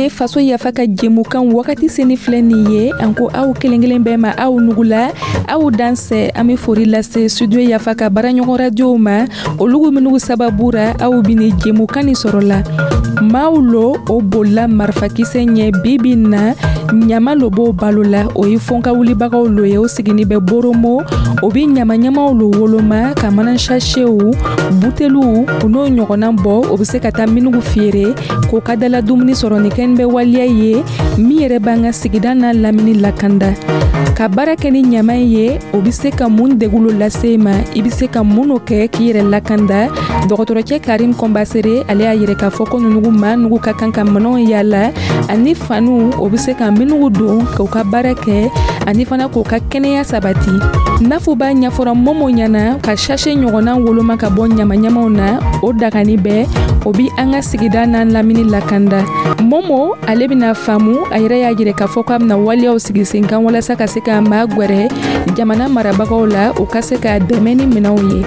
ye Faso Yafa ka jɛmukan wagati seni filɛ nin ye. An ko aw kelen kelen bɛɛ ma, aw nugula, aw dansɛ. An bɛ fori lase Studio Yafa ka baaraɲɔgɔn radiow ma, olugu minnu sababu ra aw bɛ nin jɛmukan nin sɔrɔ la. Maaw lo o bolila marifakisɛ ɲɛ bibi na, ɲama lo b'o balo la. O ye fɔnka wulibagaw lo ye, o sigini bɛ Boromo. O bɛ ɲamaɲamaw lo woloma ka mana sachetw, buteliw, u n'o ɲɔgɔnna bɔ. O bɛ se ka taa minugu feere k'o ka dala dumuni sɔrɔ. Nin kɛni bɛ waleya ye min yɛrɛ b'an ka sigida n'a lamini lakanda. Ka baara kɛ ni ɲama ye, o bɛ se ka mun degun lase i ma? I bɛ se ka mun kɛ k'i yɛrɛ lakanda? Dɔgɔtɔrɔcɛ Karim Kɔnbasere, ale y'a yɛrɛ k'a fɔ ko nunugu maa nugu ka kan ka minɛnw yala ani faniw, o bɛ se ka minugu don k'u ka baara kɛ ani fana k'u ka kɛnɛya sabati. Nafu b'a ɲɛfɔra Momo ɲɛna ka sachet ɲɔgɔnna woloma ka bɔ ɲamaɲamaw na, o dagani bɛɛ, o bi an ka sigida n'an lamini lakanda. Momo, ale bɛna faamu. A yɛrɛ y'a jira k'a fɔ k'a bɛna waleyaw sigi sen kan walasa ka se ka maa gwɛrɛ jamana marabagaw la, u ka se ka dɛmɛ ni minɛnw ye.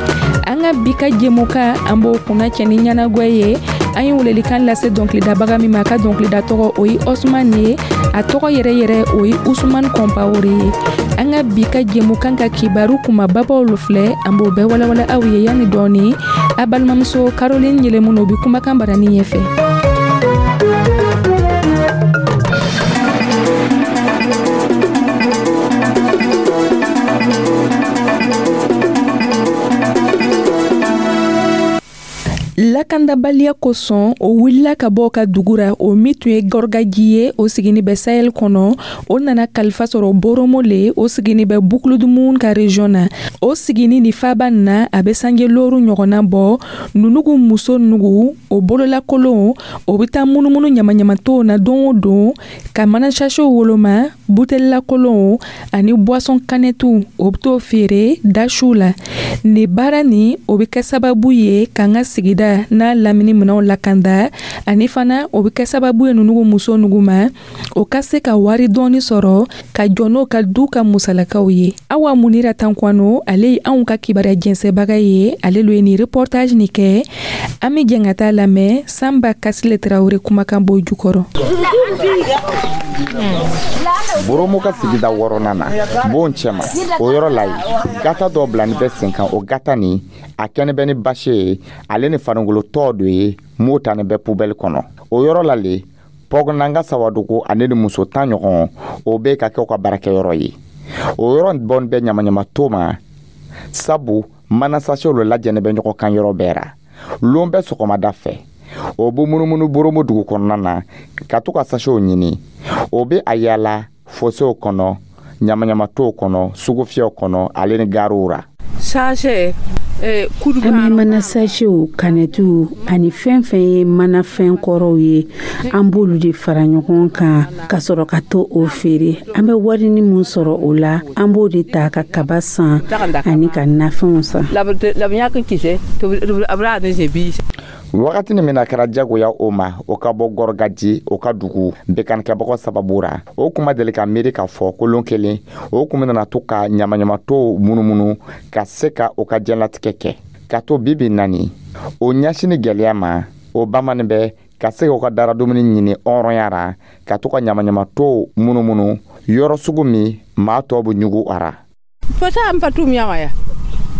An ka bi ka jɛmukan, an b'o kunna cɛ ni ɲɛnagwɛ ye. An ye welelikan lase dɔnkilidabaga min ma, a ka dɔnkilida tɔgɔ, o ye Osman ye. A tɔgɔ yɛrɛ yɛrɛ, o ye Usman Kɔnpawore ye. An ka bi ka jɛmukan ka kibaru kumababaw lo filɛ, an b'o bɛɛ walawala aw ye yanni dɔɔni. A balimamuso Caroline Yɛlɛmun, o bi kumakan barani ɲɛfɛ. Lakandabaliya kosɔn, o wulila ka bɔ ka dugu ra, o min tun ye Gɔrɔgaji ye, o sigini bɛ Sahel kɔnɔ. O nana kalifa sɔrɔ Boromo le, o sigini bɛ Boucle du Mouhoun ka région na. O sigini ni faba na, a bɛ sange looru ɲɔgɔnna bɔ. Nunugu muso nugu, o bololakolon, o bɛ taa munumunu ɲamaɲamatow na don o don ka mana sachetw woloma, butelilakolon ani boisson kanɛtiw, o bɛ t'o feere dasiw la. Nin baara nin, o bɛ kɛ sababu ye k'an ka sigida n'a lamini minɛnw lakanda, ani fana o bɛ kɛ sababu ye nunugu muso nugu ma, o ka se ka wari dɔɔni sɔrɔ ka jɔ n'o ka du ka musalakaw ye. Awa Munira Tankwano, ale ye anw ka kibaruya jɛnsɛbaga ye, ale lo ye nin reportage nin kɛ. An bɛ jɛn ka taa lamɛn Sanba Kasile Tarawele kumakan b'o jukɔrɔ. Boromo ka sigida wɔɔrɔnan na, bon cɛma, o yɔrɔ la yen, gata dɔ bilani bɛ sen kan. O gata nin, a kɛnɛ bɛ ni basi ye, ale ni farikolo tɔ dɔ ye m'o ta ni bɛ poubelle kɔnɔ. O yɔrɔ la le, Pɔgnanga Sawadogo ale ni muso 10 ɲɔgɔn, o bɛ ka kɛ u ka baarakɛyɔrɔ ye. O yɔrɔ bɔn bɛ ɲamaɲama to ma, sabu mana sachetw lo lajɛnen bɛ ɲɔgɔn kan yɔrɔ bɛɛ ra. Lon bɛɛ sɔgɔmada fɛ, o bɛ munumunu Boromo dugu kɔnɔna na ka to ka sachetw ɲini. O bɛ a yaala fosew kɔnɔ, ɲamaɲamatow kɔnɔ, sugufiyɛw kɔnɔ, ale ni gariw ra. Sachet, an bɛ mana sachetw, kanɛtiw ani fɛn fɛn ye manafɛn kɔrɔw ye, an b'olu de fara ɲɔgɔn kan ka sɔrɔ ka to o feere. An bɛ warini min sɔrɔ o la, an b'o de ta ka kaba san ani ka nafɛnw san. Wagati min na kɛra jagoya o ma, o ka bɔ Gɔrɔgaji, o ka dugu bekanikɛbagaw sababu ra, o kun ma deli ka miiri k'a fɔ ko lon kelen o kun nana to ka ɲamaɲamatow munumunu ka se ka o ka diɲɛlatigɛ kɛ. Ka to bibi nani o ɲɛsini gɛlɛya ma, o bamanin bɛ ka se k'o ka dara dumuni ɲini hɔrɔnya ra, ka to ka ɲamaɲamatow munumunu yɔrɔ sugu min maa tɔw bɛ ɲugu a ra.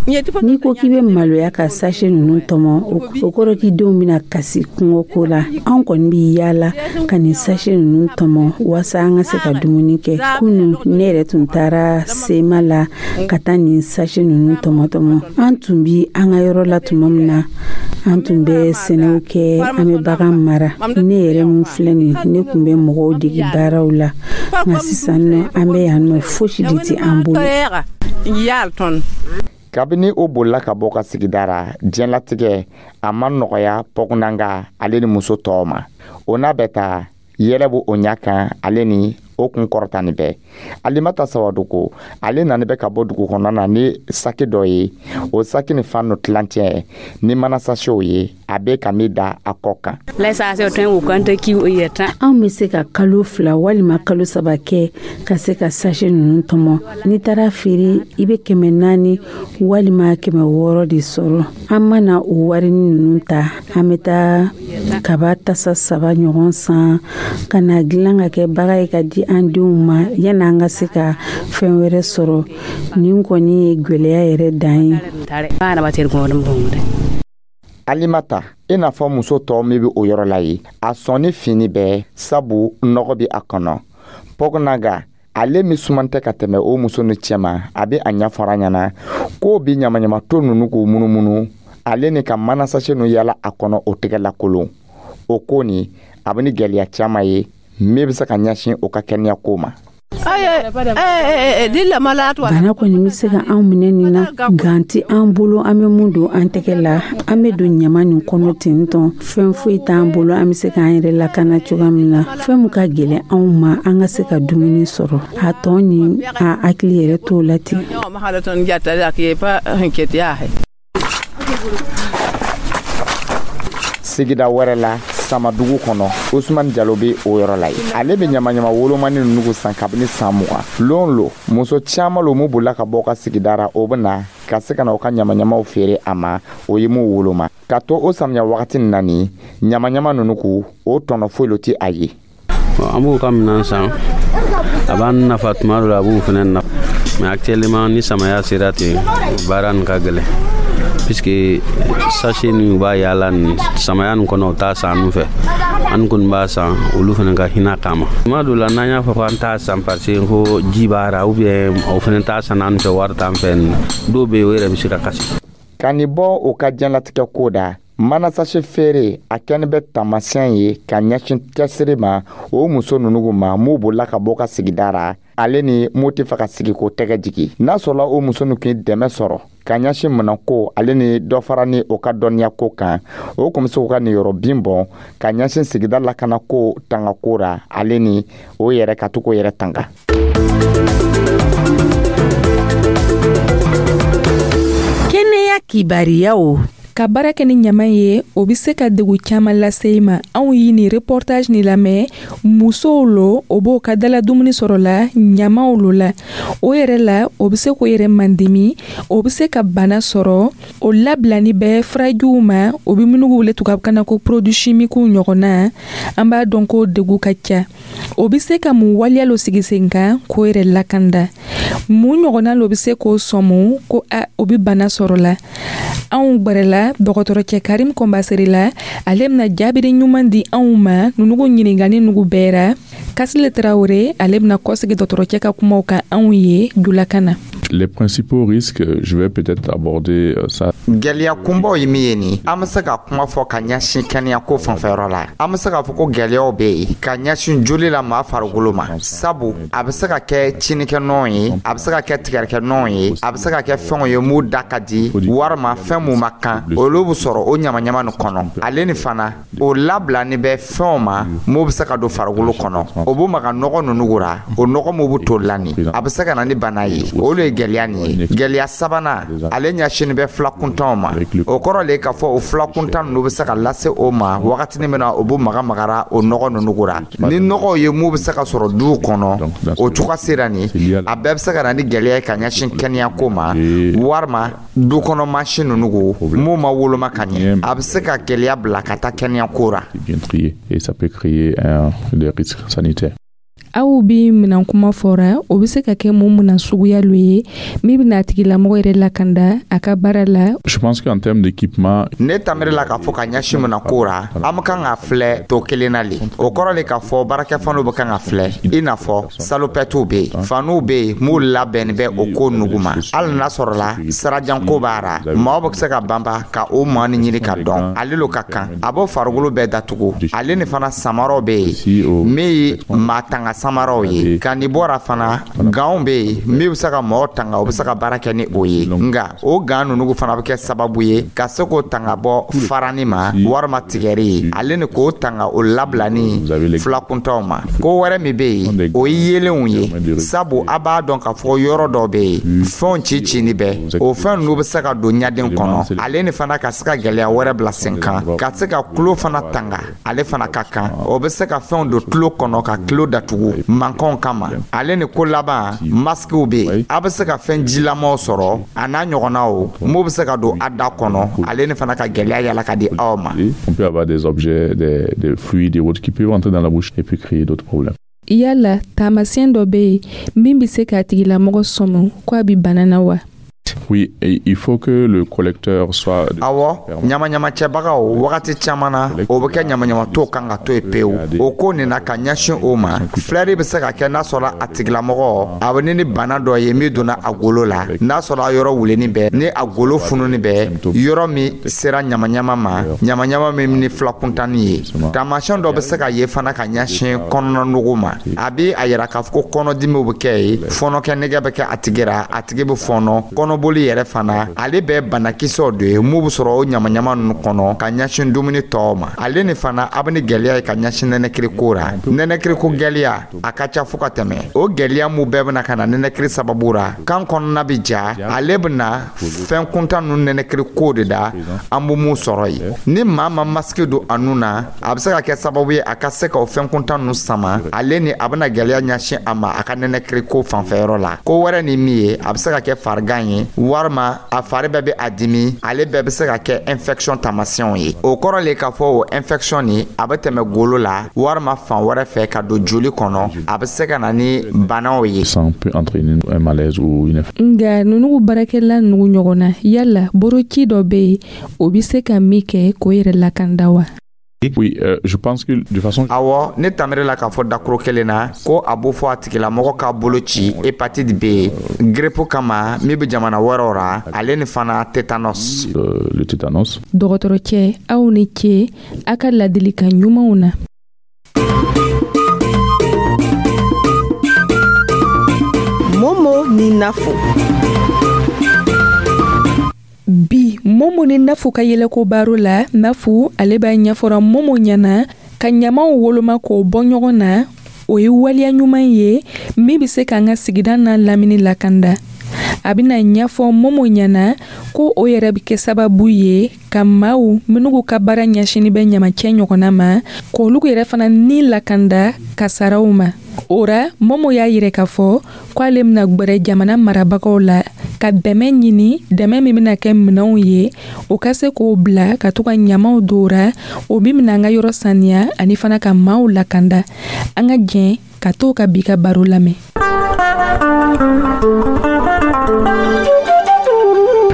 N'i ko k'i bɛ maloya ka sachet ninnu tɔmɔ, o kɔrɔ k'i denw bɛna kasi kɔngɔ ko la. Anw kɔni bɛ yaala ka nin sachet ninnu tɔmɔ walasa an ka se ka dumuni kɛ. Kunun, ne yɛrɛ tun taara sema la ka taa nin sachet ninnu tɔmɔ tɔmɔ. An tun bi an ka yɔrɔ la tuma min na, an tun bɛ sɛnɛw kɛ, an bɛ bagan mara. Ne yɛrɛ min filɛ nin, ne tun bɛ mɔgɔw dege baaraw la, nka sisan nɔ, an bɛ yan nɔ, fosi de tɛ an bolo. Kabini o bolila ka bɔ ka sigida ra, diɲɛlatigɛ a ma nɔgɔya Pɔgnanga ale ni muso tɔw ma. O n'a bɛ taa yɛlɛ b'o o ɲɛ kan, ale ni o kun kɔrɔtani bɛɛ. Alimata Sawadogo, ale nani bɛ ka bɔ dugu kɔnɔna na ni saki dɔ ye. O saki ni fan no tilancɛ ni mana sachetw ye, a bɛ ka min da a kɔ kan. Anw bɛ se ka kalo 2 walima kalo 3 kɛ ka se ka sachet ninnu tɔmɔ. N'i taara feere, i bɛ 400 walima 600 de sɔrɔ. An mana o warini ninnu ta, an bɛ taa Kaba tasa 3 ɲɔgɔn san ka na dilan ka kɛ baga ye ka di an denw ma yanni an ka se ka fɛn wɛrɛ sɔrɔ. Nin kɔni ye gwɛlɛya yɛrɛ dan ye. Alimata, i n'a fɔ muso tɔw min bɛ o yɔrɔ la ye, a sɔnni fini bɛɛ sabu nɔgɔ bɛ a kɔnɔ. Pɔgɔnaga, ale min suman tɛ ka tɛmɛ o muso ni cɛma, a bɛ a ɲɛfɔra ɲɛna k'o bɛ ɲamaɲamato ninnu k'u munumunu, ale ni ka manasase ninnu yala a kɔnɔ o tɛgɛ lakolon. O ko nin, a bɛ ni gɛlɛya caman ye min bɛ se ka ɲɛsin o ka kɛnɛya ko ma. Bana kɔni bɛ se ka anw minɛ nin na, gan tɛ an bolo, an bɛ mun don an tɛgɛ la, an bɛ don ɲama nin kɔnɔ ten tɔn, fɛn foyi t'an bolo an bɛ se k'an yɛrɛ lakana cogoya min na. Fɛn min ka gɛlɛn anw ma, an ka se ka dumuni sɔrɔ, a tɔ ni a hakili yɛrɛ t'o la ten. Sigida wɛrɛ la, Samadugu kɔnɔ, Usumani Jalo bɛ o yɔrɔ la yen. Ale bɛ ɲamaɲama wolomani ninnu san kabini san 20. Lon lo, muso caman lo mun bolila ka bɔ u ka sigida ra, o bɛ na ka se ka na u ka ɲamaɲamaw feere a ma, o ye mun woloma. Ka to o samiya wagati nin na nin, ɲamaɲama ninnu k'u, o tɔnɔ foyi lo tɛ a ye. An b'u ka minɛn san, a b'an nafa tuma dɔ la, a b'u fana nafa. Mais actuellement ni samaya sera ten, baara nin ka gɛlɛn. Puisque sachet ni u b'a yaala nin samaya nin kɔnɔ, u t'a san an fɛ, an kɔni b'a san olu fana ka hinɛ kama. Tuma dɔ la n'an y'a fɔ k'an t'a san parce que ko ji b'a ra, ou bien o fana t'a san an fɛ, wari t'an fɛ, dɔw bɛ yen o yɛrɛ bɛ se ka kasi. Ka nin bɔ o ka diɲɛlatigɛ ko da, manasase feere a kɛni bɛ taamasiyɛn ye ka ɲɛsin cɛsiri ma o muso ninnu ma m'u bolila ka bɔ ka sigida ra, ale ni m'u tɛ fɛ ka sigi k'o tɛgɛ jigi. N'a sɔrɔla o muso ninnu k'i dɛmɛ sɔrɔ ka ɲɛsin minɛnko ale ni dɔ fara ni o ka dɔnniya ko kan, o kun bɛ se k'u ka niyɔrɔ bin bɔn ka ɲɛsin sigida lakanako tangako ra, ale ni o yɛrɛ ka to k'o yɛrɛ tanga. Kɛnɛya kibariyaw. Ka baara kɛ ni ɲama ye, o bɛ se ka degun caman lase i ma. Anw ye nin reportage nin lamɛn, musow lo, o b'o ka dala dumuni sɔrɔ la ɲamaw lo la. O yɛrɛ la, o bɛ se k'o yɛrɛ mandimi, o bɛ se ka bana sɔrɔ. O labilani bɛ furajiw ma, o bɛ minnu wele tubabukan na ko produits chimiques ɲɔgɔn na. An b'a dɔn ko degun ka ca. O bɛ se ka mun waleya lo sigi sen kan k'o yɛrɛ lakanda. Mun ɲɔgɔnna lo bɛ se k'o sɔmu ko a o bɛ bana sɔrɔ la. Anw gbɛrɛla dɔgɔtɔrɔcɛ Karim Kɔnbasere la, ale bɛna jaabiri ɲuman di anw ma nunugu ɲininkali nugu bɛɛ ra. Kasile Tarawele, ale bɛna kɔsegi dɔgɔtɔrɔcɛ ka kumaw kan anw ye julakan na. Les principaux risques, je vais peut-être aborder ça. Gɛlɛya kunbaw ye min ye nin, an bɛ se ka kuma fɔ ka ɲɛsin kɛnɛyako fanfɛyɔrɔ la. An bɛ se k'a fɔ ko gɛlɛyaw bɛ yen ka ɲɛsin joli la maa farikolo ma, sabu a bɛ se ka kɛ tiɲɛnikɛnɔ ye, a bɛ se ka kɛ tigɛrikɛnɔ ye, a bɛ se ka kɛ fɛnw ye mun da ka di, walima fɛn mun ma kan, olu bɛ sɔrɔ o ɲamaɲama nin kɔnɔ. Ale ni fana o labilani bɛ fɛnw ma mun bɛ se ka don farikolo kɔnɔ, o b'u maga nɔgɔ ninnu ra, o nɔgɔ mun bɛ toli la nin, a bɛ se ka na ni bana ye. O de ye gɛlɛya nin ye. Gɛlɛya sabanan, ale ɲɛsinni bɛ filakuntanw ma. O kɔrɔ le k'a fɔ o filakuntan ninnu bɛ se ka lase o ma wagatinin min na o b'u maga magara o nɔgɔ ninnu ra. Ni nɔgɔw ye mun bɛ se ka sɔrɔ duw kɔnɔ, o cogoya sera nin, a bɛɛ bɛ se ka na ni gɛlɛya ye ka ɲɛsin kɛnɛyako ma, walima du kɔnɔ mansin ninnu ko mun ma woloma ka ɲɛ, a bɛ se ka gɛlɛya bila ka taa kɛnɛyako ra. Bien trié, et ça peut créer des risques sanitaires. Aw bi minan kuma fɔra, o bɛ se ka kɛ mun minan suguya lo ye min bɛna a tigilamɔgɔ yɛrɛ lakanda a ka baara la. Je pense qu'en termes d'équipement, ne tamiri la k'a fɔ ka ɲɛsin minan ko ra, an bɛ kan ka filɛ to kelen na le. O kɔrɔ le k'a fɔ baarakɛfaniw bɛ kan ka filɛ, i n'a fɔ salopɛtiw bɛ yen, faniw bɛ yen m'u labɛnni bɛ o ko nugu ma. Hali n'a sɔrɔla sirajanko b'a ra, maaw bɛ se ka banba ka o maa ni ɲini ka dɔn ale lo ka kan, a b'o farikolo bɛɛ datugu. Ale ni fana samaraw bɛ yen min ye maa tanga samaraw ye. Ka nin bɔra fana, ganw bɛ yen min bɛ se ka mɔgɔw tanga, o bɛ se ka baara kɛ ni o ye. Nka o gan ninnu fana bɛ kɛ sababu ye ka se k'o tanga bɔ farani ma, walima tigɛri ye, ale ni k'o tanga o labilani filakuntaw ma. Ko wɛrɛ min bɛ yen, o ye yeelenw ye, sabu a b'a dɔn k'a fɔ yɔrɔ dɔ bɛ yen fɛnw ci cini bɛɛ, o fɛn ninnu bɛ se ka don ɲaden kɔnɔ, ale ni fana ka se ka gɛlɛya wɛrɛ bila sen kan, ka se ka tulo fana tanga, ale fana ka kan, o bɛ se ka fɛnw don tulo kɔnɔ ka tulo datugu. don mankanw kama. Ale ni ko laban, masikiw bɛ yen, a bɛ se ka fɛn jilamaw sɔrɔ a n'a ɲɔgɔnnaw m'o bɛ se ka don a da kɔnɔ, ale ni fana ka gɛlɛya yala ka di aw ma. On peut avoir des objets, des fluides et autres qui peuvent entrer dans la bouche et puis créer d'autres problèmes. Yala taamasiyɛn dɔ bɛ yen min bɛ se k'a tigilamɔgɔ sɔmi ko a bɛ bana na wa? Oui, et il faut que le collecteur soit. Awɔ, ɲamaɲamacɛbagaw, wagati caman na, o bɛ kɛ ɲamaɲamatɔw kan ka to yen pewu. O ko nin na ka ɲɛsin o ma, filɛri bɛ se ka kɛ n'a sɔrɔ a tigilamɔgɔ a bɛ ni bana dɔ ye min donna a golo la, n'a sɔrɔ a yɔrɔ wulenni bɛ, ni a golo fununi bɛ, yɔrɔ min sera ɲamaɲama ma, ɲamaɲama min ni filakuntanni ye. Taamasiyɛn dɔ bɛ se ka ye fana ka ɲɛsin kɔnɔna ma. A bɛ a yira k'a fɔ ko kɔnɔdimiw bɛ kɛ yen, fɔnɔkɛ nɛgɛ bɛ kɛ a tigi la, a tigi bɛ fɔnɔ, kɔnɔboli yɛrɛ fana. Ale bɛ banakisɛw de ye mun bɛ sɔrɔ o ɲamaɲama ninnu kɔnɔ ka ɲɛsin dumuni tɔw ma. Ale ni fana a bɛ ni gɛlɛya ye ka ɲɛsin nɛnɛkiri la. Nɛnɛkiri ko gɛlɛya, a ka ca fo ka tɛmɛ. O gɛlɛya mun bɛɛ bɛna ka na nɛnɛkiri sababu la, kan kɔnɔna bɛ ja, ale bɛna fɛn kuntan ninnu nɛnɛkiri ko de da an bɛ mun sɔrɔ yen. Ni maa ma masque don a nun na, a bɛ se ka kɛ sababu ye a ka se ka o fɛn kuntan ninnu sama, ale ni a bɛna gɛlɛya ɲɛsin a ma a ka nɛnɛkiri ko fanfɛyɔrɔ la. Ko wɛrɛ ni min ye, a bɛ se ka kɛ farigan ye, walima a fari bɛɛ bɛ a dimi, ale bɛɛ bɛ se ka kɛ infection taamasiyɛnw ye. O kɔrɔ le k'a fɔ o infection nin, a bɛ tɛmɛ golo la walima fan wɛrɛ fɛ ka don joli kɔnɔ, a bɛ se ka na ni banaw ye. Ça peut entraîner un malaise ou une Nka ninnu baarakɛla ninnu ɲɔgɔn na, yala boroci dɔ bɛ yen, o bɛ se ka min kɛ k'o yɛrɛ lakanda wa? Oui, je pense que de façon. Awɔ, ne tamiri la k'a fɔ dakuro kelen na ko a b'o fɔ a tigilamɔgɔ ka bolo ci hépatite B, grippe kama min bɛ jamana wɛrɛw ra, ale ni fana tétanos. Le tétanos. Dɔgɔtɔrɔcɛ, aw ni ce a ka ladilikan ɲumanw na. Momo ni Nafo. Bi, Momo ni Nafu ka yɛlɛko baro la, Nafu ale b'a ɲɛfɔra Momo ɲɛna ka ɲamaw woloma k'o bɔ ɲɔgɔn na, o ye waleya ɲuman ye min bɛ se k'an ka sigida n'a lamini lakanda. A bɛna ɲɛfɔ Momo ɲɛna ko o yɛrɛ bɛ kɛ sababu ye ka maaw minnu ka baara ɲɛsinni bɛ ɲamacɛ ɲɔgɔnna ma, k'olu yɛrɛ fana ni lakanda kasaraw ma. O ra, Momo y'a yira k'a fɔ k'ale bɛna gwɛrɛ jamana marabagaw la ka dɛmɛ ɲini, dɛmɛ min bɛna kɛ minɛnw ye, o ka se k'o bila ka to ka ɲamaw don ra, o min bɛna an ka yɔrɔ saniya ani fana ka maaw lakanda. An ka jɛn ka t'o ka bi ka baro lamɛn.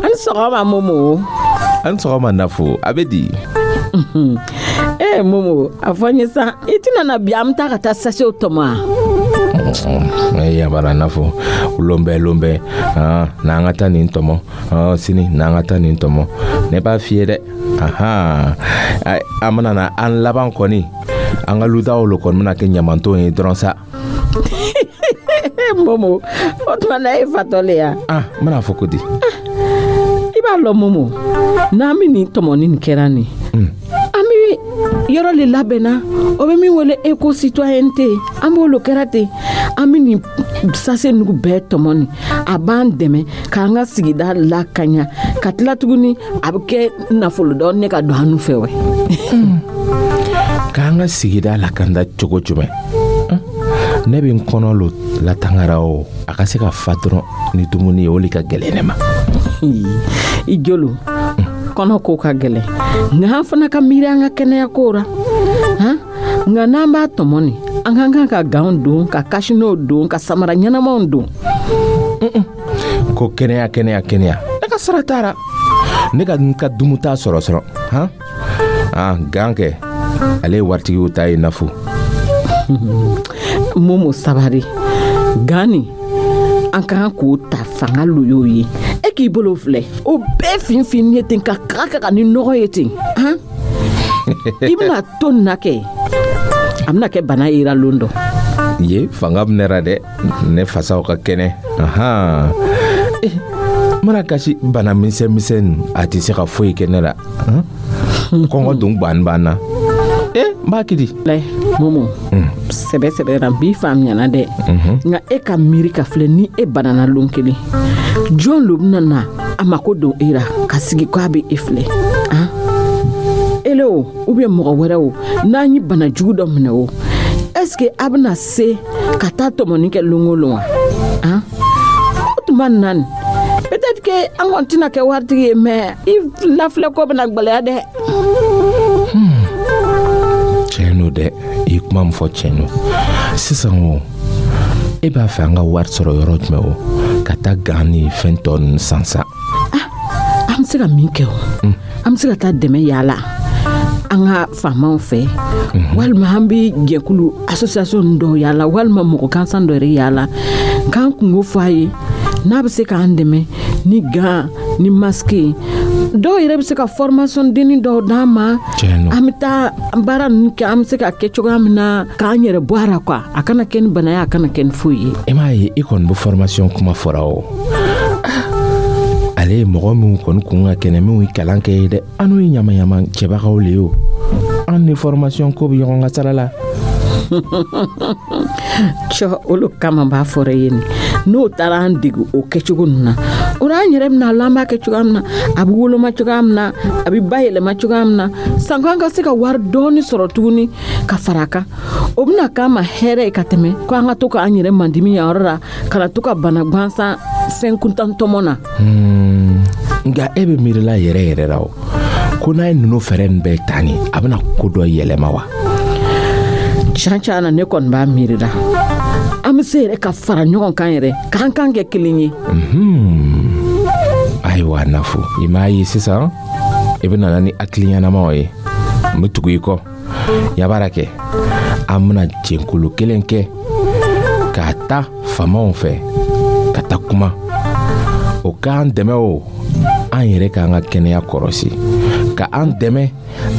An sɔgɔma Momo. An sɔgɔma Nafo, a bɛ di? Eh Momo, a fɔ n ye sa, i tɛna na bi an bɛ taa ka taa sachetw tɔmɔ wa? Yabara Nafo, lonbɛ lonbɛ, n'an ka taa nin tɔmɔ, sini n'an ka taa nin tɔmɔ, ne b'a f'i ye dɛ, an bɛna na an laban kɔni, an ka ludaw lo kɔni bɛna kɛ ɲamanton ye dɔrɔn sa. Momo, o tuma na e fatɔ le ya? Ah, n bɛna fɔ ko di? I b'a lɔn Momo, n'an bɛ nin tɔmɔni nin kɛra nin, an bɛ yɔrɔ le labɛnna, o bɛ min wele éco citoyenneté, an b'o lo kɛra ten, an bɛ nin sachet nugu bɛɛ tɔmɔ nin, a b'an dɛmɛ k'an ka sigida lakanya, ka tila tuguni a bɛ kɛ nafolo dɔɔni ne ka don an fɛ wɛ. K'an ka sigida lakanda cogo jumɛn? Ne bɛ n kɔnɔ lo latangara o, a ka se ka fa dɔrɔn ni dumuni ye, o le ka gɛlɛn ne ma. I jolo kɔnɔ ko ka gɛlɛn, nka an fana ka miiri an ka kɛnɛya ko ra, han. Nka n'an b'a tɔmɔ nin, an ka kan ka ganw don, ka kasinɛw don, ka samara ɲɛnamaw don. Ko kɛnɛya kɛnɛya kɛnɛya, ne ka sara taara, ne ka n ka dumuta sɔrɔ sɔrɔ, han. Ah, gan kɛ, ale ye waritigiw ta ye Nafo. Momo sabari, gan nin an ka kan k'o ta fanga lo y'o ye. E k'i bolo filɛ, o bɛɛ finfin ye ten ka kaga kaga ni nɔgɔ ye ten, han. I bɛna to nin na kɛ, a bɛna kɛ bana yera lon dɔ. Ye fanga bɛ dɛ, ne fasaw ka kɛnɛ. Ahan, mana kasi bana misɛn misɛn, a tɛ se ka foyi kɛ ne la. Kɔngɔ dun ban ban na. N b'a kiri. Lɛ Momo, sɛbɛ sɛbɛ ra n b'i faamuyana dɛ, nka e ka miiri ka filɛ, ni e banana lon kelen, jɔn lo bɛna na a mako don e ra ka sigi k'a bɛ e filɛ, han? Ele o, ou bien mɔgɔ wɛrɛ o, n'an ye bana jugu dɔ minɛ o, Est ce que a bɛna se ka taa tɔmɔni kɛ lon o lon wa? Han, o tuma nin na nin, peut-être que an kɔni tɛna kɛ waritigi ye, mais i lafilɛ ko bɛna gwɛlɛya dɛ. Tiɲɛ no dɛ, i ye kuma min fɔ, tiɲɛ no. Sisan o, e b'a fɛ an ka wari sɔrɔ yɔrɔ jumɛn o, ka taa gan ni fɛn tɔ ninnu san sa? An bɛ se ka min kɛ o, an bɛ se ka taa dɛmɛ yaala an ka faamaw fɛ, walima an bɛ jɛkulu, association dɔw yaala, walima mɔgɔ gansan dɔ yɛrɛ yaala k'an kungo fɔ a ye, n'a bɛ se k'an dɛmɛ ni gan ni masque ye. Dɔw yɛrɛ bɛ se ka formation denni dɔw d'an ma. Tiɲɛ no. An bɛ taa baara ninnu kɛ, an bɛ se ka kɛ cogoya min na k'an yɛrɛ bɔ a la quoi. A kana kɛ ni bana ye, a kana kɛ ni foyi ye. I m'a ye, i kɔni bɛ formation kuma fɔra o, ale ye mɔgɔ minnu kɔni kun ka kɛnɛ, minnu ye kalan kɛ ye dɛ, an n'o ye ɲamayama cɛbagaw le ye o. An ni formation ko bɛ ɲɔgɔn ka sira la. Cɔ, olu kama b'a fɔra ye nin, n'o taara an dege o kɛcogo ninnu na, o la an yɛrɛ bɛna lɔn an b'a kɛ cogoya min na, a bɛ woloma cogoya min na, a bɛ bayɛlɛma cogoya min na, sanko an ka se ka wari dɔɔni sɔrɔ tuguni ka fara a kan. O bɛna k'an ma hɛrɛ ye ka tɛmɛ ko an ka to k'an yɛrɛ mandimi yan yɔrɔ la, ka na to ka bana gansan fɛn kuntan tɔmɔ na. Nka e bɛ miirila yɛrɛ yɛrɛ la o, ko n'a ye ninnu fɛɛrɛ nin bɛɛ ta nin, a bɛna ko dɔ yɛlɛma wa? Can can na, ne kɔni b'a miiri la, an bɛ se yɛrɛ ka fara ɲɔgɔn kan yɛrɛ, k'an kan kɛ kelen ye. Ayiwa Nafo, i m'a ye sisan i bɛ nana ni hakili ɲɛnamaw ye, n bɛ tugu i kɔ. Yabara kɛ, an bɛna jɛnkulu kelen kɛ k'a ta faamaw fɛ ka taa kuma, o k'an dɛmɛ o, an yɛrɛ k'an ka kɛnɛya kɔrɔsi, ka an dɛmɛ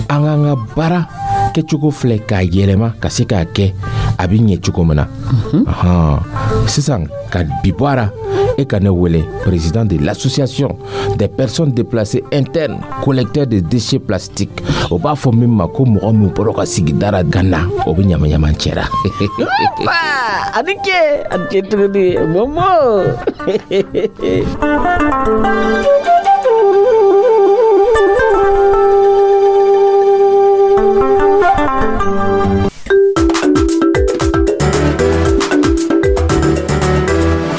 an k'an ka baara kɛcogo filɛ k'a yɛlɛma ka se k'a kɛ a bɛ ɲɛ cogo min na. Ahan. Sisan ka bi bɔ a la, e ka ne wele président de l'association des personnes déplacées internes collecteurs de déchets plastiques. O b'a fɔ min ma ko mɔgɔ min bɔra ka sigida la ka na, o bɛ ɲama ɲama cɛra. A ni ce, a ni ce tuguni, Momo.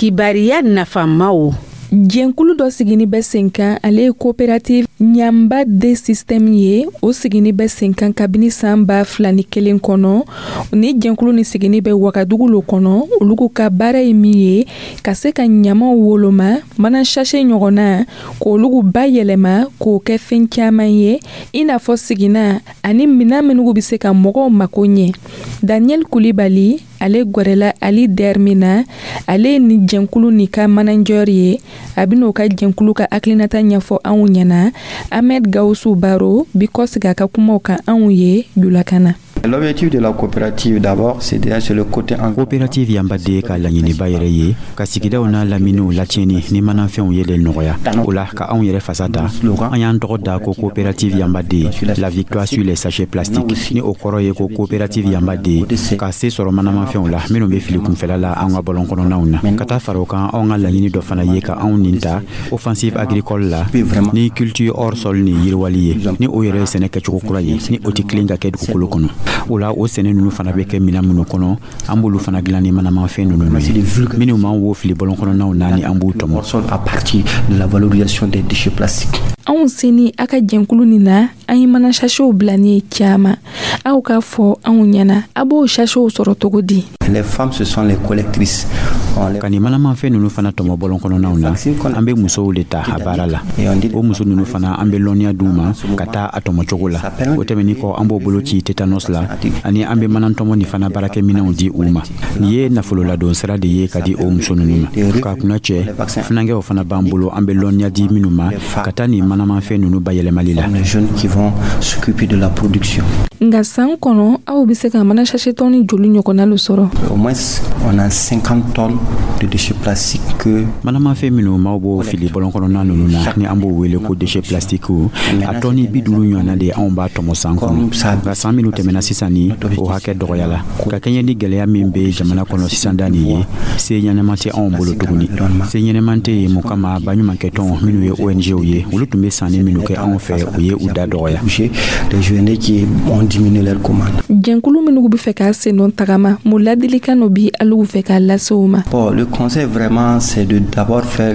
Kibariya nafamaw. Jɛnkulu dɔ sigini bɛ sen kan, ale ye coopérative Ɲanba de système ye. O sigini bɛ sen kan kabini san 2001 kɔnɔ. Ni jɛnkulu ni sigini bɛ Wagadugu lo kɔnɔ. Olu ka baara ye min ye, ka se ka ɲamaw woloma, mana sachet ɲɔgɔnna, k'olu bayɛlɛma k'o kɛ fɛn caman ye, i n'a fɔ sigina ani minan minnu bɛ se ka mɔgɔw mako ɲɛ. Daniel Kulibali, ale gwɛrɛla Ali Dermina, ale ye ni jɛnkulu ni ka manager ye. A bɛn'o ka jɛnkulu ka hakilinata ɲɛfɔ anw ɲɛna. Ahmed Gawusu Baro bi kɔsigi a ka kumaw kan anw ye julakan na. L'objectif de la coopérative d'abord, c'est déjà sur le côté Coopérative Yanbade ka laɲiniba yɛrɛ ye ka sigidaw n'a laminiw latiɲɛni ni manafɛnw ye le nɔgɔya. O la ka anw yɛrɛ fasa da, an y'an tɔgɔ da ko coopérative Yanbade, la victoire sur les sachets plastiques, ni o kɔrɔ ye ko coopérative Yanbade ka se sɔrɔ manamafɛnw la minnu bɛ fili kunfɛla la an ka bɔlɔn kɔnɔnaw na. Ka taa fara o kan, anw ka laɲini dɔ fana ye ka anw nin ta offensive agricole la ni culture hors sol ni yiriwali ye, ni o yɛrɛ ye sɛnɛ kɛcogo kura ye, ni o tɛ tilen ka kɛ dugukolo kɔnɔ. O la o sɛnɛ ninnu fana bɛ kɛ minɛn minnu kɔnɔ, an b'olu fana dilan ni manamafɛn ninnu ye minnu b'an wo fili bɔlɔn kɔnɔnaw na ni an b'u tɔmɔ. À partir de la valorisation des déchets plastiques. Anw seni a ka jɛnkulu nin na, an ye mana sachetw bila ni ye caman. Aw k'a fɔ anw ɲɛna, a b'o sachetw sɔrɔ cogo di? Les femmes, ce sont les collectrices. Ka nin manamafɛn ninnu fana tɔmɔ bɔlɔn kɔnɔnaw na, an bɛ musow de ta a baara la. O muso ninnu fana, an bɛ lɔnniya d'u ma ka taa a tɔmɔ cogo la. O tɛmɛnin kɔ, an b'o bolo ci tétanos la, ani an bɛ manatɔmɔ ni fana baarakɛminɛnw di u ma. Nin ye nafololadon sira de ye ka di o muso ninnu ma. K'a kunna cɛ, funankɛw fana b'an bolo, an bɛ lɔnniya di minnu ma ka taa nin manamafɛn ninnu bayɛlɛmali la. Les jeunes qui vont s'occuper de la production. Nka san kɔnɔ, aw bɛ se ka mana sachet tɔni joli ɲɔgɔnna lo sɔrɔ? Au moins, on a 50 tonnes. de déchets plastiques que Manamafɛn minnu maaw b'o fili bɔlɔn kɔnɔna ninnu na, ni an b'o wele ko déchet plastique, a tɔni 50 ɲɔgɔnna de anw b'a tɔmɔ san kɔnɔ. Nka san minnu tɛmɛna sisan, ni o hakɛ dɔgɔyala ka kɛɲɛ ni gɛlɛya min bɛ jamana kɔnɔ sisan da nin ye, se ɲɛnɛma tɛ anw bolo tuguni. Se ɲɛnɛman tɛ yen mun kama? Baɲumankɛtɔn minnu ye ONGw ye, olu tun bɛ sanni minnu kɛ anw fɛ, o ye u da dɔgɔya. Des ONG qui ont diminué leurs commandes. Jɛnkulu minnu bɛ fɛ k'a sen dɔn tagama, mun ladilikan dɔ bi alugu fɛ k'a lase o ma? Bon, le conseil vraiment, c'est de d'abord faire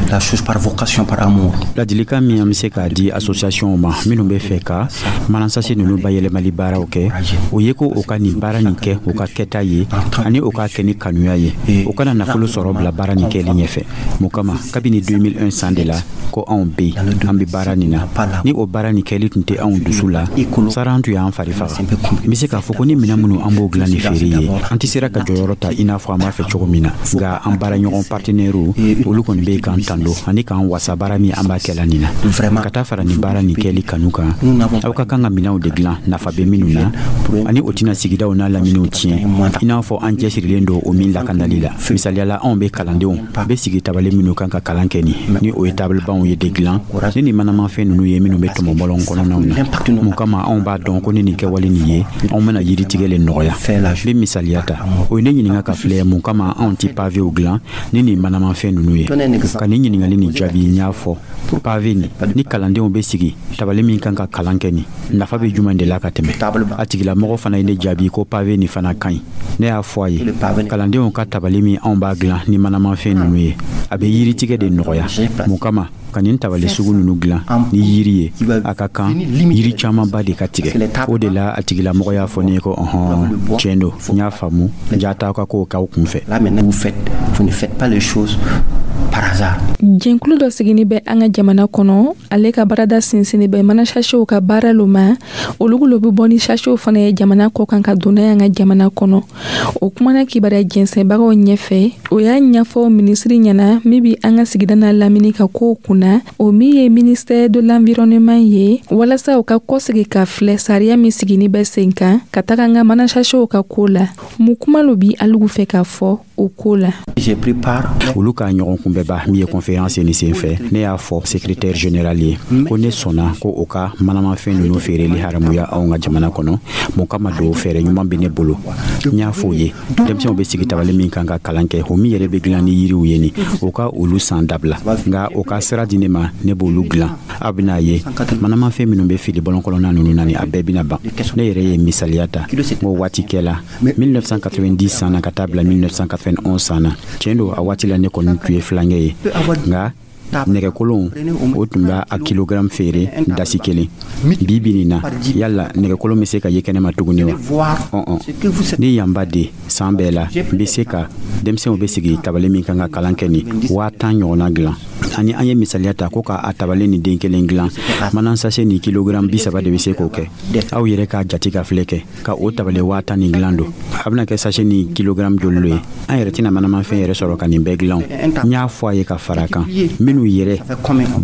la chose par vocation, par amour. Ladilikan min an bɛ se k'a di association ma minnu bɛ fɛ ka manasase ninnu bayɛlɛmali baaraw kɛ, o ye ko o ka nin baara nin kɛ o ka kɛta ye, ani o k'a kɛ ni kanuya ye. O kana nafolo sɔrɔ bila baara nin kɛli ɲɛfɛ. Mun kama? Kabini 2001 san de la ko anw be yen, an be baara nin na. Ni o baara nin kɛli tun tɛ anw dusu la, sara an tun y'an fari faga. N be se k'a fɔ ko ni minɛn minnu an b'o dilan ni feere ye, an tɛ sera ka jɔyɔrɔ ta i n'a fɔ an b'a fɛ cogo min na. Nka an baaraɲɔgɔn partenaires, olu kɔni be k'an tando ani k'an wasa baara min an b'a kɛla nin na. Ka taa fara nin baara nin kɛli kanu kan, aw ka kan ka minɛnw de dilan nafa bɛ minnu na, ani o tɛna sigidaw n'a laminiw tiɲɛ, i n'a fɔ an cɛsirilen don o min lakanali la. Misaliyala, anw bɛ kalandenw bɛ sigi tabali minnu kan ka kalan kɛ, ni o ye tabalibanw ye de dilan ni nin manamafɛn ninnu ye minnu bɛ tɔmɔbɔlɔn kɔnɔnaw na. Mun kama? Anw b'a dɔn ko ni nin kɛwale nin ye, anw bɛna yiri tigɛ le nɔgɔya. N bɛ misaliya ta, o ye ne ɲininka ka filɛ mun kama anw ti pavew dilan ni nin manamafɛn ninnu ye. Ka nin ɲininkali nin jaabi, n y'a fɔ pave nin ni kalandenw bɛ sigi tabali min kan ka kalan kɛ, nin nafa bɛ jumɛn de la ka tɛmɛ? A tigilamɔgɔ fana ye ne jaabi ko pave nin fana ka ɲi. Ne y'a fɔ a ye, kalandenw ka tabali min anw b'a dilan ni manamafɛn ninnu ye, a bɛ yiritigɛ de nɔgɔya. Mun kama ka nin tabali sugu ninnu dilan ni yiri ye, a ka kan yiri camanba de ka tigɛ. O de la a tigilamɔgɔ y'a fɔ ne ye ko ɔhɔn, tiɲɛ don, n y'a faamu, ja t'aw ka kow k'aw kun fɛ. Là maintenant, vous ne faites pas les choses par hasard. Jɛnkulu dɔ sigini bɛ an ka jamana kɔnɔ, ale ka baarada sinsinni bɛ mana sachetw ka baara lo ma. Olugu lo bɛ bɔ ni sachetw fana ye jamana kɔ kan ka don n'a ye an ka jamana kɔnɔ. O kumana kibaruya jɛnsɛnbagaw ɲɛfɛ, o y'a ɲɛfɔ minisiri ɲɛna min bi an ka sigida n'a lamini ka kow kunna, o min ye ministère de l'Environnement ye, walasa u ka kɔsegi ka filɛ sariya min sigini bɛ sen kan ka taga an ka mana sachetw ka ko la. Mun kuma lo bi alugu fɛ k'a fɔ o ko la? J'ai pris part Olu ka ɲɔgɔn kunbɛba min ye conférence ni sen fɛ, ne y'a fɔ secrétaire général ye ko ne sɔnna ko o ka manamafɛn ninnu feereli haramuya anw ka jamana kɔnɔ. Mun kama don? Fɛɛrɛ ɲuman bɛ ne bolo. N y'a fɔ o ye, denmisɛnw bɛ sigi tabali min kan ka kalan kɛ, o min yɛrɛ bɛ dilan ni yiriw ye, nin o ka olu san dabila, nka o ka sira di ne ma, ne b'olu dilan. Aw bɛna ye, manamafɛn minnu bɛ fili bɔlɔn kɔnɔna ninnu na, ni a bɛɛ bɛna ban. Ne yɛrɛ ye misaliya ta n ko waati kɛla 1990 san na ka taa bila 1991 san na. Tiɲɛ don, a waati la ne kɔni tun ye filankɛ ye, nka nɛgɛkolon o tun b'a a kilogramme feere dasi kelen. Bi bi nin na, yala nɛgɛkolon bɛ se ka ye kɛnɛma tuguni wa? Ɔn, ni yanba de san bɛɛ la n bɛ se ka denmisɛnw bɛ sigi tabali min kan ka kalan kɛ, nin 10 000 ɲɔgɔnna dilan, ani an ye misaliya ta ko k'a tabali ni den kelen dilan, mana sachet ni kilogramme 30 de bɛ se k'o kɛ. Aw yɛrɛ k'a jate ka filɛ kɛ ka o tabali 10 000 nin dilan don, a bɛna kɛ sachet ni kilogramme joli lo ye? An yɛrɛ tɛna manamafɛn yɛrɛ sɔrɔ ka nin bɛɛ dilan. N y'a fɔ a ye ka fara a kan, minnu yɛrɛ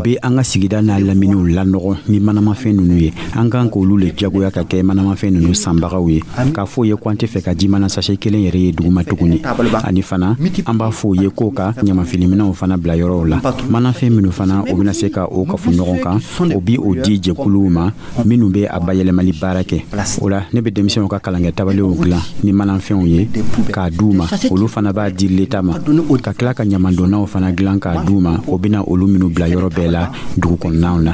bɛ an ka sigida n'a laminiw lanɔgɔ ni manamafɛn ninnu ye, an kan k'olu le jagoya ka kɛ manamafɛn ninnu sanbagaw ye, k'a fɔ ye ko an tɛ fɛ ka ji mana sachet kelen yɛrɛ ye duguma tuguni. Ani fana an b'a fɔ ye k'o ka ɲamafiliminɛw fana bila yɔrɔw la. Manafɛn minnu fana o bɛna se ka o kafu ɲɔgɔn kan, o bi o di jɛkuluw ma minnu bɛ a bayɛlɛmali baara kɛ. O la ne bɛ denmisɛnw ka kalankɛ tabaliw dilan ni manafɛnw ye k'a d'u ma, olu fana b'a di leta ma, ka tila ka ɲamandonnaw fana dilan k'a d'u ma, o bɛna olu minnu bila yɔrɔ bɛɛ la dugu kɔnɔnaw na.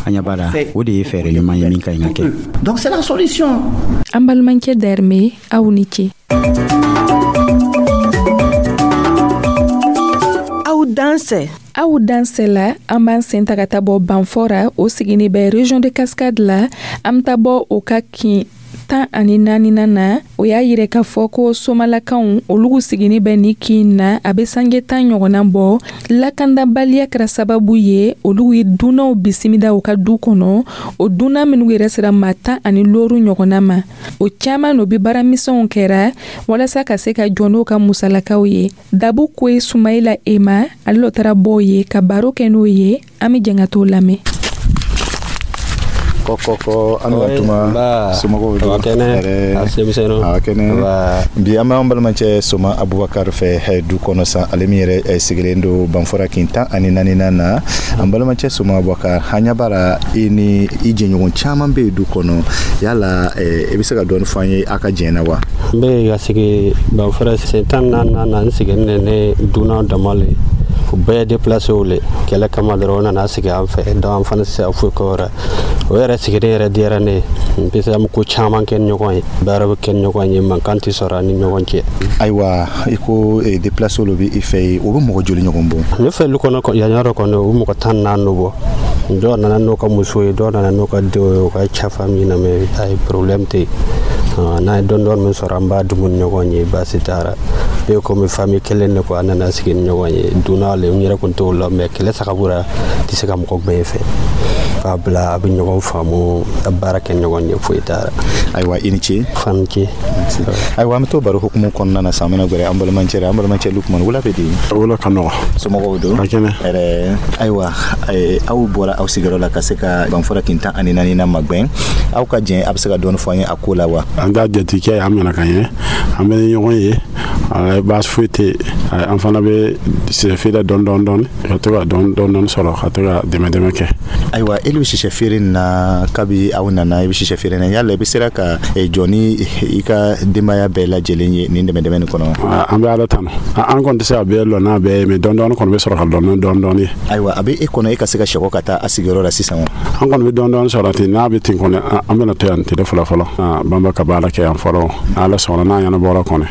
An ɲɛ b'a la, o de ye fɛɛrɛ ɲuman ye min ka ɲi ka kɛ. Donc c'est la solution. An balimakɛ Dɛrɛmɛ, aw ni ce. Aw dansɛ. Aw dansɛ la, an b'an sen ta ka taa bɔ Banfora, o sigini bɛ région de Cascade la. An bɛ taa bɔ o ka kin 14nan na. O y'a yira k'a fɔ ko somalakaw olugu sigini bɛ ni kin na, a bɛ sange 10 ɲɔgɔnna bɔ. Lakandabaliya kɛra sababu ye olu ye dunanw bisimila u ka du kɔnɔ. O dunan minnu yɛrɛ sera maa 15 ɲɔgɔnna ma, o caman no bɛ baaramisɛnw kɛra walasa ka se ka jɔ n'o ka musalakaw ye. Dabu Koye Sumayila Ema, ale lo taara bɔ ye ka baro kɛ n'o ye. An bɛ jɛn ka t'o lamɛn. Kɔ an ka tuma somɔgɔw don? Kɛnɛ. Kɛnɛ. Bi an b'an balimacɛ Soma Abubakar fɛ du kɔnɔ san, ale min yɛrɛ sigilen don Banfora kin 14nan na. An balimacɛ Soma Abubakar, an ɲɛ b'a la i ni i jɛɲɔgɔn caman bɛ yen du kɔnɔ. Yala i bɛ se ka dɔɔni fɔ an ye aw ka jɛn na wa? N bɛ ka sigi Banfora sen 14nan na. N sigilen ne dunan dama le, u bɛɛ déplacé le kɛlɛ kama dɔrɔn, u nana sigi an fɛ. Donc an fana tɛ se ka foyi kɛ o la. O yɛrɛ sigilen yɛrɛ diyara ne ye, parce que an bɛ ko caman kɛ ni ɲɔgɔn ye, baara bɛ kɛ ni ɲɔgɔn ye, mankan tɛ sɔrɔ an ni ɲɔgɔn cɛ. Ayiwa, i ko déplacé olu bɛ i fɛ yen, o bɛ mɔgɔ joli ɲɔgɔn bɔ? Ne fɛ lu kɔnɔ yan yɔrɔ kɔnɔ, u mɔgɔ 14 bɔ. Dɔw nana n'u ka muso ye, dɔw nana n'u ka denw ye, u ka ca famille na, mais ayi, problème tɛ yen. N'an ye dɔɔni dɔɔni min sɔrɔ, an b'a dumu ni ɲɔgɔn ye, baasi t'a la. Bɛɛ komi famille kelen de quoi, an nana sigi ni ɲɔgɔn ye. Dunan le, n yɛrɛ kun t'o la, mais kɛlɛ sagabura tɛ se ka mɔgɔ gbɛn fɛ k'a bila. A bɛ ɲɔgɔn faamu, ka baara kɛ ɲɔgɔn ye, foyi t'a la. Ayiwa, i ni ce. Fani ce. Ayiwa, an bɛ to baro hukumu kɔnɔna na sisan. An bɛna gɛrɛ an balimacɛ la. An balimacɛ Lukumani, wula bɛ di? Wula ka nɔgɔ. Somɔgɔw don? Ka kɛnɛ. Ɛrɛ. Ayiwa, aw bɔra aw sigiyɔrɔ la ka se ka Banfora kin 14 na magɛn. Aw ka jɛn, a bɛ se ka dɔɔni fɔ an ye a ko la wa? An ka jatikɛ, an minɛ ka ɲɛ, an bɛ ni ɲɔgɔn ye, baasi foyi tɛ yen. An fana bɛ sɛ feere dɔɔni dɔɔni dɔɔni, ka to ka dɔɔni dɔɔni sɔrɔ, ka to ka dɛmɛ dɛmɛ kɛ. Ayiwa, e bɛ sisɛ feere nin na kabi aw nana, i bɛ sisɛ feere na. Yala i bɛ sera ka jɔ ni i ka denbaya bɛɛ lajɛlen ye nin dɛmɛ dɛmɛ nin kɔnɔ? An bɛ Ala tanu, an kɔni tɛ se ka bɛɛ lɔ n'a bɛɛ ye, mais dɔɔni dɔɔni kɔni bɛ sɔrɔ ka lɔ ni dɔɔni dɔɔni ye. Ayiwa, a bɛ e kɔnɔ e ka se ka sɛgɔ ka taa a sigiyɔrɔ la sisan wa? An kɔni bɛ dɔɔni dɔɔni sɔrɔ ten. N'a bɛ ten kɔni, an bɛna to yan tile fɔlɔ fɔlɔ, banba ka baara kɛ yan fɔlɔ. Ala sɔnna, n'a ɲɛnabɔra kɔni,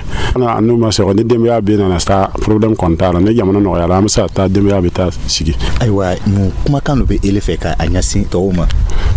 n'u ma sɔrɔ ni denbaya bɛ nana sa, problème kɔni t'a la. Ni jamana nɔgɔyara, an bɛ se ka taa, denbaya bɛ taa sigi. Ayiwa, mun kumakan dɔ bɛ ele fɛ ka a ɲɛsin tɔw ma?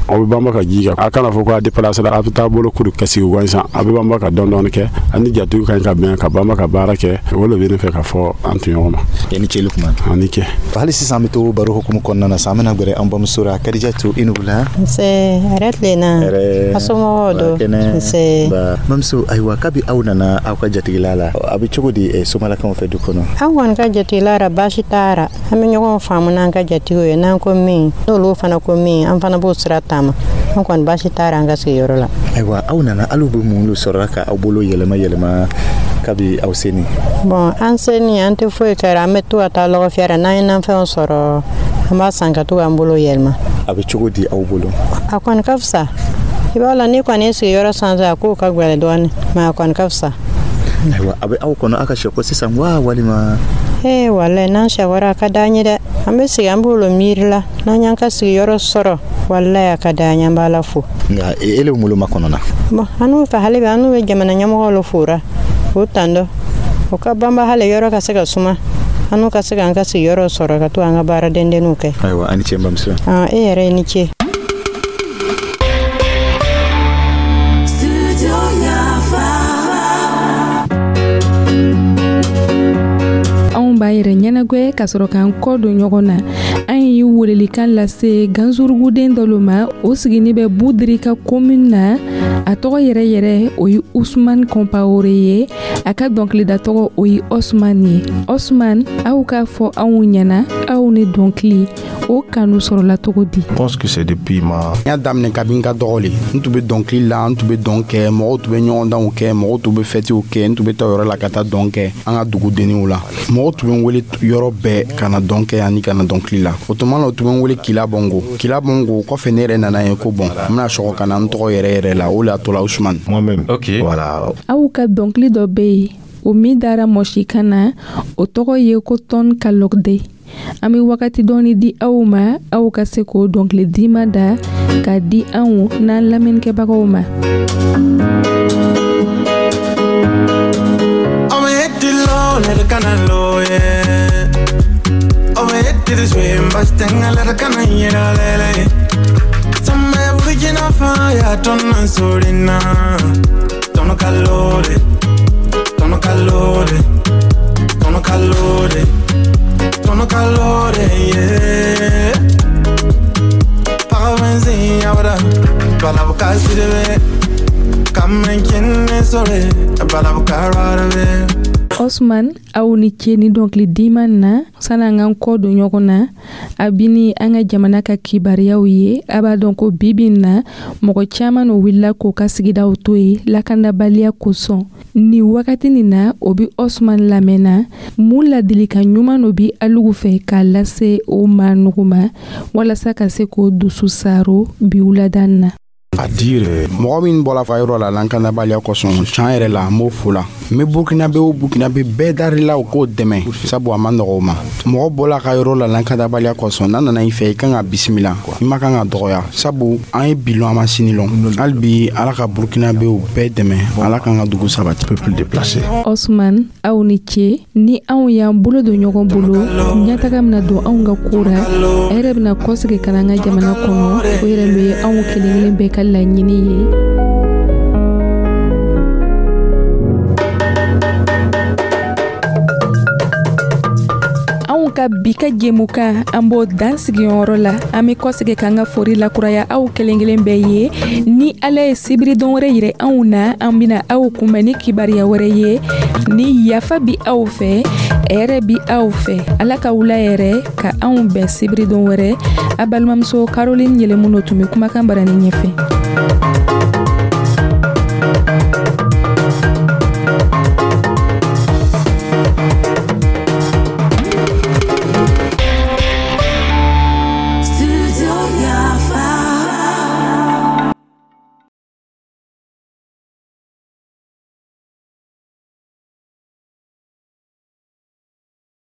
Aw bɛ banba ka ji kan, a kana fɔ ko a déplacé la, a bɛ taa bolo kuru ka sigi gansan. A bɛ banba ka dɔɔni dɔɔni kɛ, ani jatigiw ka ɲi ka bɛn ka banba ka baara kɛ. O de bɛ ne fɛ ka fɔ an tɔɲɔgɔn ma. I ni ce Lukman. A ni ce. Hali sisan an bɛ to baro hukumu kɔnɔna na sisan, an bɛna gɛrɛ an bamuso la, Kadijatu, i ni wula. Nse, hɛrɛ tilenna. Hɛrɛ. A somɔgɔw don? Nse. Bamuso, ayiwa, kabi aw nana aw ka jatigila la, a bɛ cogo di somalakaw fɛ du kɔnɔ? An kɔni ka jatigila la, baasi t'a la. An bɛ ɲɔgɔn faamu n'an ka jatigiw ye. N'an ko min, n'olu fana ko min, an fana b'o sira taama. An kɔni, baasi t'a la an ka sigiyɔrɔ la. Ayiwa, aw nana, alu bɛ mun de sɔrɔla ka aw bolo yɛlɛma yɛlɛma kabi aw seni? Bon, an seni, an tɛ foyi kɛra. An bɛ to ka taa lɔgɔ fiyɛ. N'an ye nafɛnw sɔrɔ, an b'a san ka to k'an bolo yɛlɛma. A bɛ cogo di aw bolo? A kɔni ka fisa. I b'a la, n'i kɔni ye sigiyɔrɔ sanfɛ, a kow ka gɛlɛn dɔɔnin, mais a kɔni ka fisa. Ayiwa, a bɛ aw kɔnɔ aw ka sɛko sisan wa, walima? Ee, walayi, n'an sɛkɔra, a ka d'an ye dɛ. An bɛ sigi, an b'o miiri la. N'an y'an ka sigiyɔrɔ sɔrɔ, walayi, a ka d'an ye, an b'Ala fo. Nka e le bolo ma kɔnɔ na? Bon, an n'u fɛ hali bi, an n'u bɛ jamana ɲɛmɔgɔw le fora k'o tando, o ka banba hali yɔrɔ ka se ka suma, an n'u ka se k'an ka sigiyɔrɔ sɔrɔ ka to an ka baara dendenninw kɛ. Ayiwa, a ni ce n bamuso. E yɛrɛ ye ni ce. Anw b'a yɛrɛ ɲɛnagwɛ ka sɔrɔ k'an kɔ don ɲɔgɔn na. An ye welelikan lase ganzuruguden dɔ ma, o sigini bɛ Budirika commune na. A tɔgɔ yɛrɛ yɛrɛ, o ye Usman Kɔnpawore ye. A ka dɔnkilida tɔgɔ, o ye Osman ye. Osman, aw k'a fɔ anw ɲɛna, aw ni dɔnkili o kanu sɔrɔla cogo di? Je pense que c'est depuis ma N y'a daminɛ kabi n ka dɔgɔ le. N tun bɛ dɔnkili la, n tun bɛ dɔn kɛ, mɔgɔw tun bɛ ɲɔgɔndanw kɛ, mɔgɔw tun bɛ fɛtiw kɛ, n tun bɛ taa yɔrɔ la ka taa dɔn kɛ an ka dugudenniw la. Mɔgɔw tun bɛ n wele yɔrɔ bɛɛ ka na dɔn kɛ ani ka na dɔnkili la. O tuma la, o tun bɛ n wele Kila Bɔngo, Kila Bɔngo. Kɔfɛ, ne yɛrɛ nana ye ko bon, n bɛna sɔgɔ ka na n tɔgɔ yɛrɛ yɛrɛ la. O le y'a to la Usumani. Moi-même. Ok. Voilà. Aw ka dɔnkili dɔ bɛ yen, o min dara mɔsikan na, o tɔgɔ ye ko Tɔn Kalɔgde. An bɛ wagati dɔɔni di aw ma, aw ka se k'o dɔnkili dima da k'a di anw n'an lamɛnnikɛbagaw ma. Tono calore, yeah. Parabenzi, abra, balabuka sirebe. Come and sore, balabuka rarabe. Osman, aw ni ce ni dɔnkili diman na. Sani an k'an kɔ don ɲɔgɔn na, a bini an ka jamana ka kibariyaw ye. A b'a dɔn ko bibi na, mɔgɔ caman no wulila k'o ka sigidaw to ye lakandabaliya kosɔn. Ni wagati nin na, o bi Osman lamɛnna, mun ladilikan ɲuman no bi alugu fɛ k'a lase o maa nugu ma, walasa ka se k'o dusu saaro bi wulada na? A dire mɔgɔ min bɔla fa yɔrɔ la lakanabaliya kosɔn, can yɛrɛ la, n b'o fo la. N bɛ Burkinabe o Burkinabe bɛɛ darila, o k'o dɛmɛ, sabu a ma nɔgɔ o ma. Mɔgɔ bɔla ka yɔrɔ la lakanabaliya kosɔn, n'a nana i fɛ, i kan ka bisimila, i ma kan ka dɔgɔya, sabu an ye bi lɔn, an ma sini lɔn. Hali bi, Ala ka Burkinabew bɛɛ dɛmɛ, Ala k'an ka dugu sabati. Peuple déplacé. Osman, aw ni ce. Ni anw y'an bolo don ɲɔgɔn bolo, ɲɛtaga bɛna don anw ka ko ra, a yɛrɛ bɛna kɔsegi ka na an ka jamana kɔnɔ. O yɛrɛ lo ye anw kelen kelen bɛɛ ka laɲini ye. Anw ka bi ka jɛmukan, an b'o dan sigiyɔrɔ la. An bɛ kɔsegi k'an ka fori lakuraya aw kelen kelen bɛɛ ye. Ni Ala ye sibiridon wɛrɛ yira anw na, an bɛna aw kunbɛn ni kibariya wɛrɛ ye. Ni yafa bi aw fɛ, hɛrɛ bi aw fɛ, Ala ka wula yɛrɛ ka anw bɛn sibiridon wɛrɛ. A balimamuso Caroline Yɛlɛmuno tun bɛ kumakan barani ɲɛfɛ.